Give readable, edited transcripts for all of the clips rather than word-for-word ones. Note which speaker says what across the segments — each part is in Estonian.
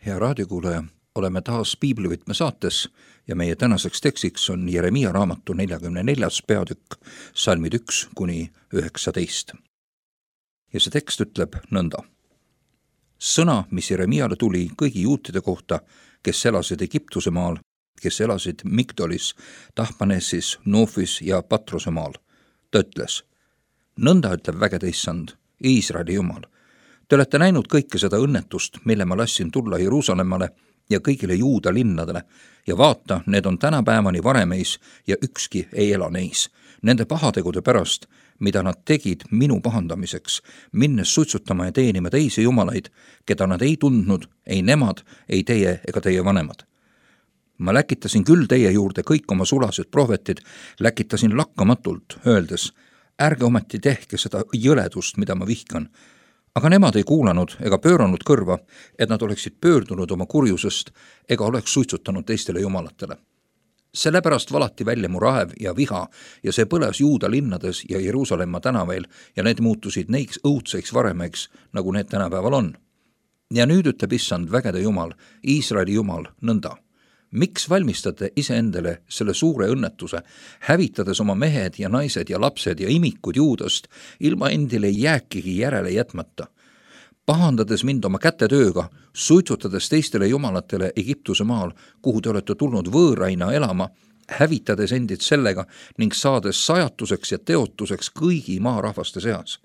Speaker 1: Hea raadiokuulaja, oleme taas Piiblivõtme saates ja meie tänaseks tekstiks on Jeremia raamatu 44. peatükk, salmid 1-19. Ja see tekst ütleb nõnda. Sõna, mis Jeremiale tuli kõigi juutide kohta, kes elasid Egiptuse maal, kes elasid Migdolis, Tahpanesis, Nofis ja Patrose maal. Ta ütles, nõnda ütleb vägede issand, Iisraeli jumal. Te olete näinud kõike seda õnnetust, mille ma lassin tulla Jeruusalemmale ja kõigile Juuda linnadele, ja vaata, need on tänapäevani varemeis ja ükski ei ela neis. Nende pahategude pärast, mida nad tegid minu pahandamiseks, minnes suitsutama ja teenima teisi jumalaid, keda nad ei tundnud, ei nemad, ei teie ega teie vanemad. Ma läkitasin küll teie juurde kõik oma sulased prohvetid, läkitasin lakkamatult, öeldes, ärge ometi tehke seda jõledust, mida ma vihkan. Aga nemad ei kuulanud ega pööranud kõrva, et nad oleksid pöördunud oma kurjusest ega oleks suitsutanud teistele jumalatele. Sellepärast valati välja mu raev ja viha ja see põles Juuda linnades ja Jeruusalemma tänavail ja need muutusid neiks õudseks varemeks, nagu need tänapäeval on. Ja nüüd ütleb issand vägede jumal, Iisraeli jumal, nõnda. Miks valmistate iseendale selle suure õnnetuse, hävitades oma mehed ja naised ja lapsed ja imikud Juudast, ilma endile jääkigi järele jätmata? Pahandades mind oma kätetööga, suitsutades teistele jumalatele Egiptuse maal, kuhu te olete tulnud võõraina elama, hävitades endid sellega ning saades sajatuseks ja teotuseks kõigi maarahvaste seas.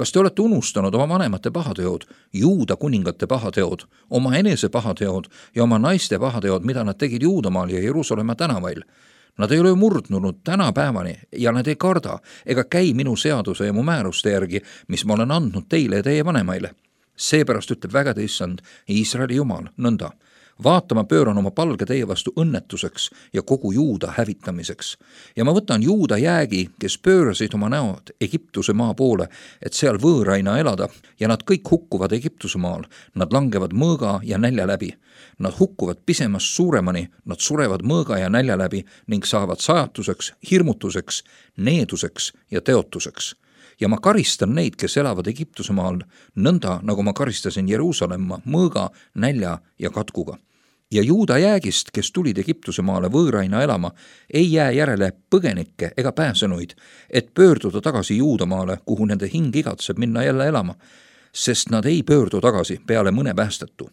Speaker 1: Kas te olete unustanud oma vanemate pahateod, Juuda kuningate pahateod, oma enese pahateod ja oma naiste pahateod, mida nad tegid Juudamaal ja Jeruusalemma tänavail? Nad ei ole murdnunud tänapäevani ja nad ei karda ega käi minu seaduse ja mu määruste järgi, mis ma olen andnud teile ja teie vanemaile. Seepärast ütleb vägede issand, Iisraeli jumal, nõnda. Vaata, ma pööran oma palge teie vastu õnnetuseks ja kogu Juuda hävitamiseks. Ja ma võtan Juuda jäägi, kes pöörasid oma näod Egiptuse maa poole, et seal võõraina elada, ja nad kõik hukkuvad Egiptuse maal. Nad langevad mõõga ja nälja läbi. Nad hukkuvad pisemast suuremani, nad surevad mõõga ja nälja läbi ning saavad sajatuseks, hirmutuseks, needuseks ja teotuseks. Ja ma karistan neid, kes elavad Egiptuse maal, nõnda nagu ma karistasin Jeruusalemma mõõga, nälja ja katkuga. Ja Juuda jäägist, kes tulid Egiptuse maale võõraina elama, ei jää järele põgenikke ega pääsenuid, et pöörduda tagasi Juudamaale, kuhu nende hing igatseb minna jälle elama, sest nad ei pöördu tagasi peale mõne päästetu.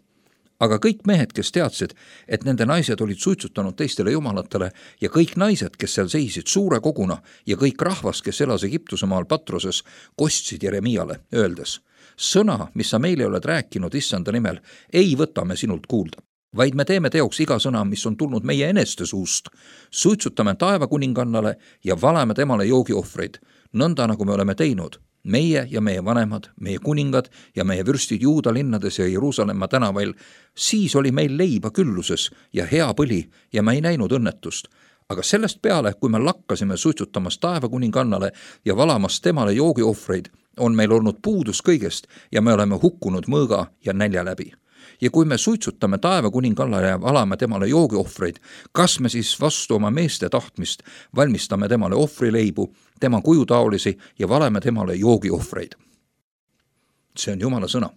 Speaker 1: Aga kõik mehed, kes teadsid, et nende naised olid suitsutanud teistele jumalatele ja kõik naised, kes seal seisid suure koguna ja kõik rahvas, kes elas Egiptuse maal Patroses, kostsid Jeremiale, öeldes, sõna, mis sa meile oled rääkinud issanda nimel, ei võta me sinult kuulda, vaid me teeme teoks iga sõna, mis on tulnud meie eneste suust. Suitsutame taevakuningannale ja valame temale joogiohvreid, nõnda nagu me oleme teinud. Meie ja meie vanemad, meie kuningad ja meie vürstid Juuda linnades ja Jeruusalemma tänavail, siis oli meil leiba külluses ja hea põli ja me ei näinud õnnetust. Aga sellest peale, kui me lakkasime suitsutamas taevakuningannale ja valamas temale joogiohvreid, on meil olnud puudus kõigest ja me oleme hukkunud mõõga ja nälja läbi. Ja kui me suitsutame taevakuningannale ja valame temale joogiohvreid, kas me siis vastu oma meeste tahtmist valmistame temale ohvrileibu, tema kujutaolisi ja valeme temale joogiohvreid? See on Jumala sõna.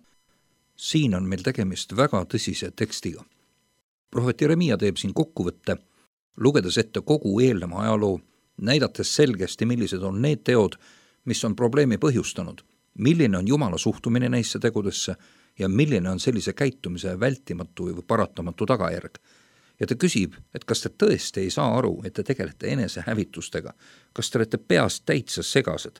Speaker 1: Siin on meil tegemist väga tõsise tekstiga. Prohvet Jeremia teeb siin kokkuvõtte, lugedes ette kogu eelneva ajaloo, näidates selgesti, millised on need teod, mis on probleemi põhjustanud, milline on Jumala suhtumine neisse tegudesse ja milline on sellise käitumise vältimatu või paratamatu tagajärg. Ja ta küsib, et kas te tõesti ei saa aru, et te tegelete enesehävitustega, kas te olete peast täitsa segased.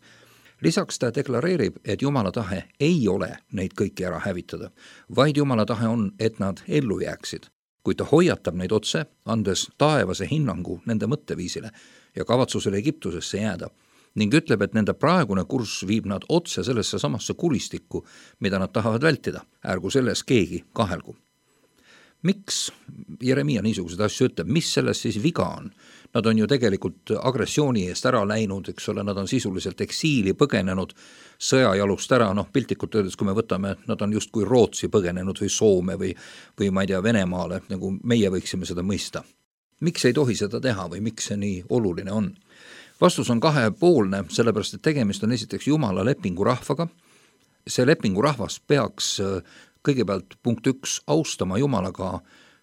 Speaker 1: Lisaks ta deklareerib, et Jumala tahe ei ole neid kõiki ära hävitada, vaid Jumala tahe on, et nad ellu jääksid. Kui ta hoiatab neid otse, andes taevase hinnangu nende mõtteviisile ja kavatsusele Egiptusesse jääda, ning ütleb, et nende praegune kurss viib nad otse sellesse samasse kuristikku, mida nad tahavad vältida. Ärgu selles keegi kahelgu. Miks Jeremia niisuguseid asju ütleb? Mis selles siis viga on? Nad on ju tegelikult agressiooni eest ära läinud, eks ole, nad on sisuliselt eksiili põgenenud sõjajalust ära, piltlikult öeldes, kui me võtame, nad on justkui Rootsi põgenenud või Soome või ma ei tea, Venemaale, nagu meie võiksime seda mõista. Miks ei tohi seda teha või miks see nii oluline on? Vastus on kahepoolne, sellepärast, et tegemist on esiteks Jumala lepingu rahvaga. See lepingu rahvas peaks kõigepealt punkt 1, austama Jumalaga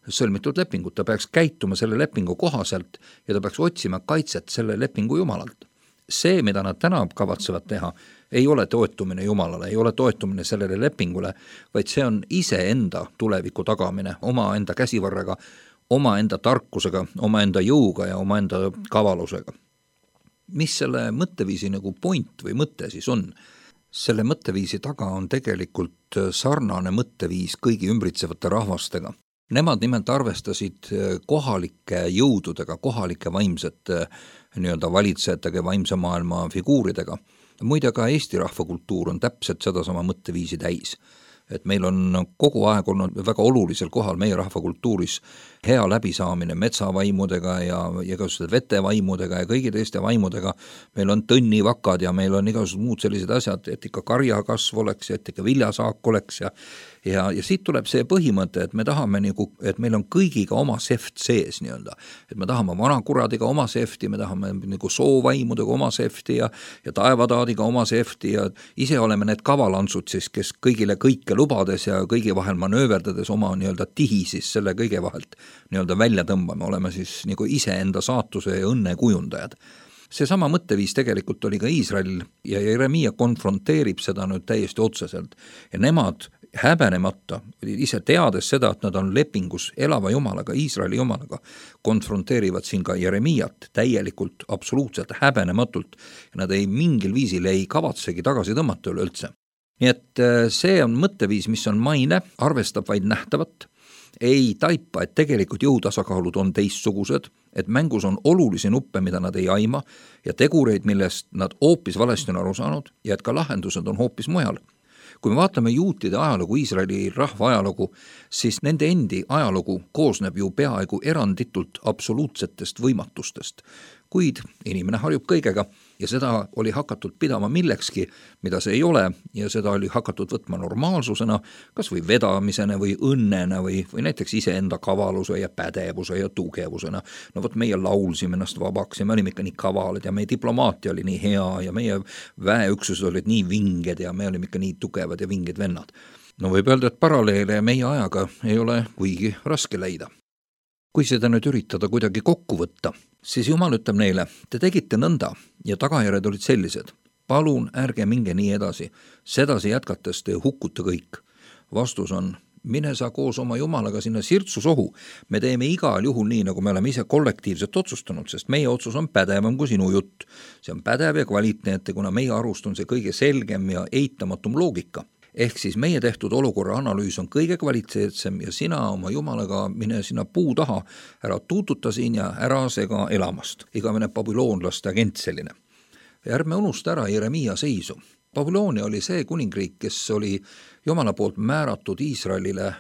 Speaker 1: sõlmitud lepingut, ta peaks käituma selle lepingu kohaselt ja ta peaks otsima kaitset selle lepingu Jumalalt. See, mida nad täna kavatsevad teha, ei ole toetumine Jumalale, ei ole toetumine sellele lepingule, vaid see on iseenda tuleviku tagamine omaenda käsivarraga, omaenda tarkusega, omaenda jõuga ja omaenda kavalusega. Mis selle mõtteviisi nagu point või mõte siis on? Selle mõtteviisi taga on tegelikult sarnane mõtteviis kõigi ümbritsevate rahvastega. Nemad nimelt arvestasid kohalike jõududega, kohalike vaimsete valitsejatega, vaimse maailma figuuridega. Muide ka Eesti rahvakultuur on täpselt sedasama mõtteviisi täis. Et meil on kogu aeg olnud väga olulisel kohal meie rahvakultuuris hea läbisaamine metsavaimudega ja igasugused vetevaimudega ja kõigi teiste vaimudega. Meil on tõnnivakad ja meil on igasugused muud sellised asjad, et ikka karjakasv oleks ja et ikka viljasaak oleks ja siit tuleb see põhimõte, et me tahame et meil on kõigiga oma seft sees et me tahame vanakuradiga oma sefti, me tahame soovaimudega oma sefti ja taevataadiga oma sefti ja ise oleme need kavalantsud siis, kes kõigile kõike lubades ja kõigi vahel manööverdades oma tihi siis selle kõige vahelt välja tõmbame, oleme siis iseenda saatuse ja õnne kujundajad. Seesama mõtteviis tegelikult oli ka Iisrael ja Jeremia konfronteerib seda nüüd täiesti otseselt ja nemad häbenemata, ise teades seda, et nad on lepingus elava Jumalaga, Iisraeli Jumalaga, konfronteerivad siin ka Jeremiat täielikult, absoluutselt häbenematult ja nad ei mingil viisil ei kavatsegi tagasi tõmmata üleüldse. Nii et see on mõtteviis, mis on maine, arvestab vaid nähtavat, ei taipa, et tegelikult jõutasakaalud on teistsugused, et mängus on olulisi nuppe, mida nad ei aima ja tegureid, millest nad hoopis valesti on aru saanud ja et ka lahendused on hoopis mujal. Kui me vaatame juutide ajalugu, Iisraeli rahva ajalugu, siis nende endi ajalugu koosneb ju peaaegu eranditult absoluutsetest võimatustest. Kuid inimene harjub kõigega ja seda oli hakatud pidama millekski, mida see ei ole ja seda oli hakatud võtma normaalsusena, kas või vedamisena või õnnena või näiteks iseenda kavaluse ja pädevuse ja tugevusena. No vot meie laulsime ennast vabaks ja me olime ikka nii kavalad ja meie diplomaatia oli nii hea ja meie väeüksused olid nii vinged ja me olime ikka nii tugevad ja vinged vennad. No võib öelda, et paralleele meie ajaga ei ole kuigi raske leida. Kui seda nüüd üritada kuidagi kokku võtta, siis Jumal ütleb neile, te tegite nõnda ja tagajärjed olid sellised. Palun ärge minge nii edasi, sedasi jätkates te hukkute kõik. Vastus on, mine sa koos oma Jumalaga sinna sirtsusohu. Me teeme igal juhul nii, nagu me oleme ise kollektiivselt otsustanud, sest meie otsus on pädevam kui sinu jutt. See on pädev ja kvaliteetne, kuna meie arust on see kõige selgem ja eitamatum loogika. Ehk siis meie tehtud olukorra analüüs on kõige kvaliteetsem ja sina oma Jumalaga mine sinna puu taha, ära tuututa siin ja ära sega elamast. Igavene babüloonlaste agent selline. Ja ärme unusta ära Jeremia seisu. Babyloonia oli see kuningriik, kes oli Jumala poolt määratud Iisraelile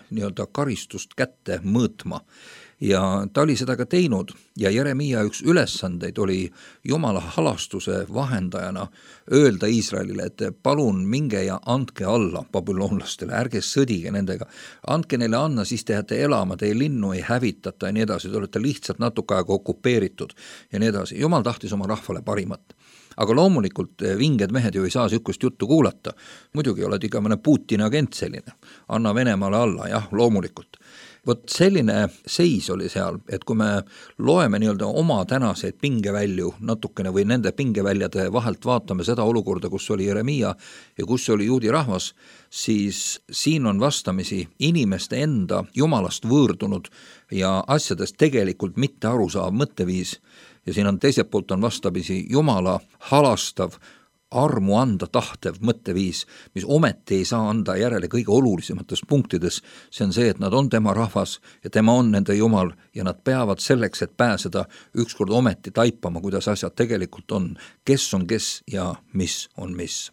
Speaker 1: karistust kätte mõõtma. Ja ta oli seda ka teinud ja Jeremia üks ülesandeid oli Jumala halastuse vahendajana öelda Iisraelile, et palun minge ja andke alla babüloonlastele, ärge sõdige nendega, andke neile anna, siis te jääte elama, teie linnu ei hävitata ja nii edasi, te olete lihtsalt natuke aega okupeeritud ja nii edasi. Jumal tahtis oma rahvale parimat. Aga loomulikult vinged mehed ju ei saa sükust juttu kuulata. Muidugi oled ikka mõne Putini agent selline. Anna Venemaale alla, jah, loomulikult. Vot selline seis oli seal, et kui me loeme oma tänaseid pingevälju natukene või nende pingeväljade vahelt vaatame seda olukorda, kus oli Jeremia ja kus oli juudi rahvas, siis siin on vastamisi inimeste enda Jumalast võõrdunud ja asjadest tegelikult mitte arusaав mõtteviis. Ja siin on teiselt poolt on vastamisi Jumala halastav, armu anda tahtev mõtteviis, mis ometi ei saa anda järele kõige olulisemates punktides. See on see, et nad on tema rahvas ja tema on nende Jumal ja nad peavad selleks, et pääseda ükskord ometi taipama, kuidas asjad tegelikult on, kes on kes ja mis on mis.